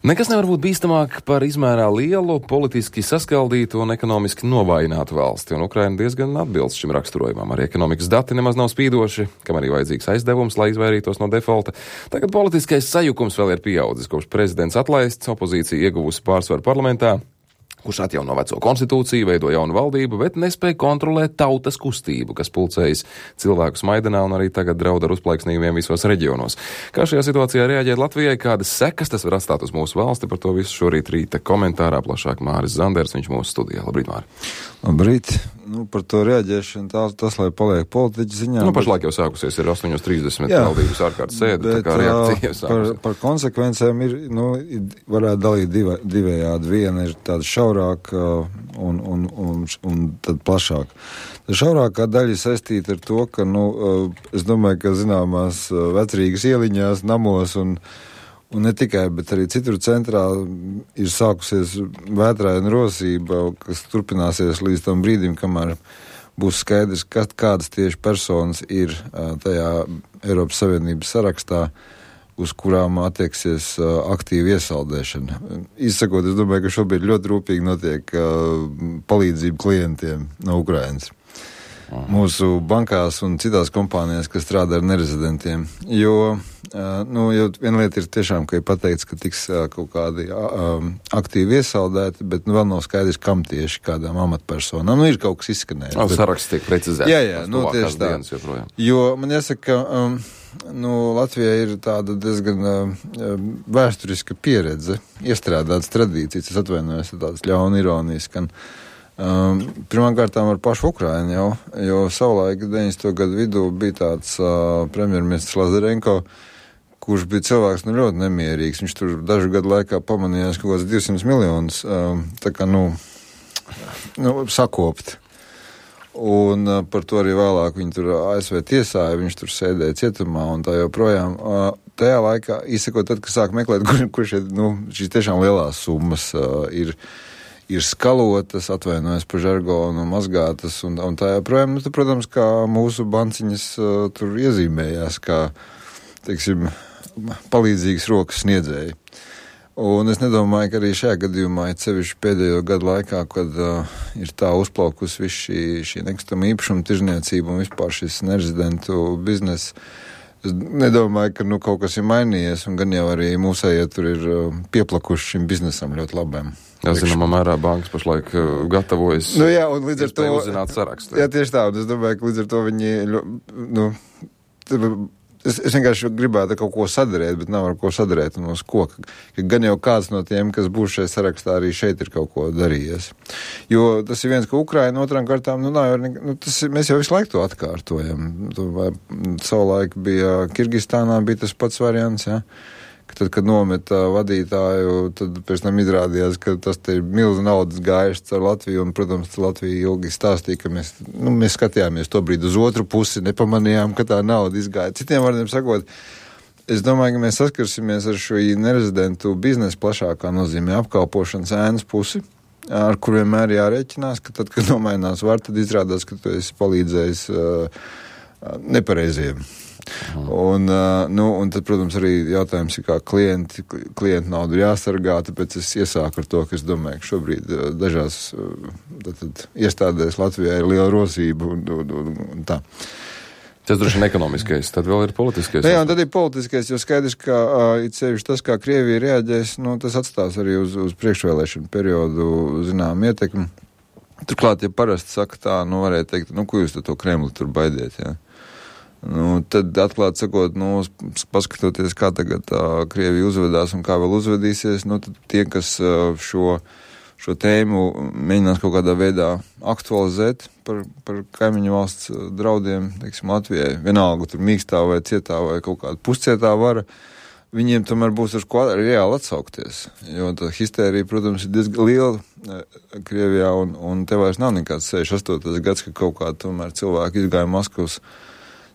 Nekas nevar būt bīstamāk par izmērā lielu, politiski saskaldītu un ekonomiski novājinātu valsti, un Ukraina diezgan atbilst šim raksturojumam. Arī ekonomikas dati nemaz nav spīdoši, kam arī vajadzīgs aizdevums, lai izvairītos no defolta. Tagad politiskais sajukums vēl ir pieaudzis, kopš prezidents atlaists, opozīcija ieguvusi pārsvaru parlamentā, kurš atjauno veco konstitūciju, veido jaunu valdību, bet nespēja kontrolēt tautas kustību, kas pulcējas cilvēkus Maidanā un arī tagad draud ar uzplaiksnījumiem visos reģionos. Kā šajā situācijā reaģēt Latvijai, kādas sekas tas var atstāt uz mūsu valsti, par to visu šorīt rīta komentārā plašāk Māris Zanders, viņš mūsu studijā. Labrīt, Māri. Labrīt. Par to reaģēšanu tas, lai paliek politiķi ziņā. Pašlaik jau sākusies, ir 8:30 valdības ārkārtas sēde, tā kā reakcija sākusies. Par konsekvencēm varētu dalīt divējādi. Viena ir tāda šaurāka un tad plašāka. Tā šaurākā daļa saistīta ar to, ka, es domāju, ka zināmās vecrīgas ieliņās, namos un ne tikai, bet arī citur centrā ir sākusies vētraina rosība, kas turpināsies līdz tam brīdim, kamēr būs skaidrs, kādas tieši personas ir tajā Eiropas Savienības sarakstā, uz kurām attieksies aktīva iesaldēšana. Izsakot, es domāju, ka šobrīd ļoti rūpīgi notiek palīdzība klientiem no Ukrainas. Mūsu bankās un citās kompānijās, kas strādā ar nerezidentiem. Jo viena lieta ir tiešām, ka ir pateikts, ka tiks kaut kādi aktīvi iesaldēti, bet vēl nav skaidrs, kam tieši, kādām amatpersonām. Ir kaut kas izskanējis. Saraksts tiek precizēts. Jā, tieši tā. Jo man jāsaka, Latvijā ir tāda diezgan vēsturiska pieredze, iestrādātas tradīcijas, es atvainojos, tādas ļauna ironijas, ka pirmkārtām ar pašu Ukrainu jo savulaik 90. gadu vidū bija tāds premjerministrs Lazarenko, kurš bija cilvēks ļoti nemierīgs. Viņš tur dažu gadu laikā pamanījās kaut kāds 200 miljonus sakopt. Un par to arī vēlāk viņi tur ASV tiesāja, viņš tur sēdēja cietumā un tā joprojām. Tajā laikā, izsakot, tad, kad sāk meklēt, kur šīs tiešām lielās summas ir skalotas, atvainojas par žargonu, mazgātas un tā joprojām. Protams, kā mūsu banciņas tur iezīmējās, kā, teiksim, palīdzīgas rokas sniedzēji. Un es nedomāju, ka arī šajā gadījumā, sevišķi pēdējo gadu laikā, kad ir tā uzplaukusi visu šī nekustama īpašuma tirzniecība un vispār šis nerezidentu bizness, es nedomāju, ka kaut kas ir mainījies, un gan jau arī mūsējie tur ir pieplakuši šim biznesam ļoti labiem. Jā, zināmā mērā bankas pašlaik gatavojas un līdz ar to uzzināt sarakstu. Jā, tieši tā, un es domāju, ka līdz ar to viņi, es vienkārši gribētu kaut ko sadarēt, bet nav ar ko sadarēt un uz ko. Ka gan jau kāds no tiem, kas būs šajā sarakstā, arī šeit ir kaut ko darījies. Jo tas ir viens, ka Ukraina otrām kārtām, mēs jau visu laiku to atkārtojam. Savulaik bija Kirgistānā, bija tas pats variants, jā. Tad, kad nometa vadītāju, tad pēc tam izrādījās, ka tas te ir milzu naudas gājušas ar Latviju, un, protams, Latvija ilgi stāstīja, ka mēs skatījāmies to brīdi uz otru pusi, nepamanījām, ka tā nauda izgāja. Citiem vārdiem sakot, es domāju, ka mēs saskarsimies ar šo nerezidentu biznesu plašākā nozīmē apkalpošanas ēnas pusi, ar kur vienmēr jārēķinās, ka tad, kad nomainās var, tad izrādās, ka tu esi palīdzējis nepareiziem. Un tad, protams, arī jautājums ir, kā klientu naudu ir jāsargā, tāpēc es iesāku ar to, ka es domāju, ka šobrīd dažās iestādēs Latvijā ir liela rosība un tā. Tas droši vien ekonomiskais, tad vēl ir politiskais. Jā, un tad ir politiskais, jo skaidrs, ka it sevišķi tas, kā Krievija reaģēs, tas atstās arī uz priekšvēlēšanu periodu zinām ietekmi. Turklāt, ja parasti saka tā, varētu teikt, ko jūs to Kremli tur baidiet, jā? Tad atklāt sakot, paskatoties, kā tagad Krievija uzvedās un kā vēl uzvedīsies, tad tie, kas šo tēmu mēģinās kaut kādā veidā aktualizēt par kaimiņu valsts draudiem, teiksim, Latvijai, vienalga tur mīkstā vai cietā vai kaut kāda puscietā vara, viņiem tomēr būs ar ko reāli atsaukties. Jo tā histērija, protams, ir diezgan liela Krievijā un te vairs nav nekāds 68. gads, ka kaut kā tomēr cilvēki izgāja Maskavas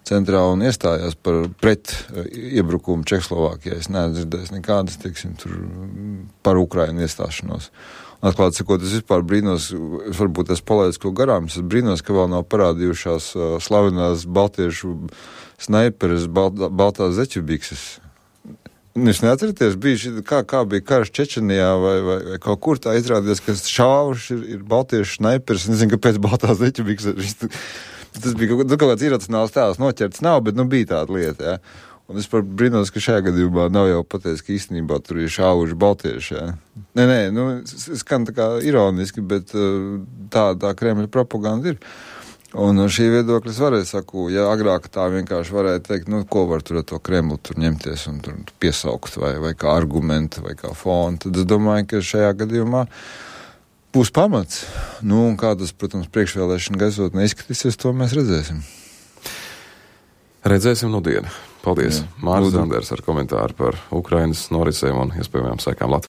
centrā un iestājās pret iebrukumu Čehoslovākijā. Es neesmu dzirdējis nekādas, teiksim, tur par Ukrainu iestāšanos. Atklāt sakot, es vispār brīnos, varbūt es palaidu ko garām, es brīnos, ka vēl nav parādījušās slavenās baltiešu snaiperes baltās zeķu bikses. Jūs neatceraties, bija kā bija karš Čečenijā vai kaut kur tā izrādījās, ka šauši ir baltiešu snaipers. Nezinu, kāpēc baltā zeķa. Tas bija kaut kāds iracionāls tēls, noķerts nav, bet bija tāda lieta, jā. Un es par brīnos, ka šajā gadījumā nav jau pateicis, ka īstenībā tur ir šauši baltieši, jā. Nē, skan tā kā ironiski, bet tā Kremļa propaganda ir. Un no šī viedokļa es varēju saku, ja agrāk tā vienkārši varēja teikt, ko var tur ar to Kremlu tur ņemties un tur piesaukt vai kā argumentu vai kā fonu, tad es domāju, ka šajā gadījumā būs pamats. Un kā tas, protams, priekšvēlēšana gaisotnē izskatīsies, to mēs redzēsim. Redzēsim dienu. Paldies. Māris Zanders ar komentāru par Ukrainas norisēm un iespējamām sekām Latvijā.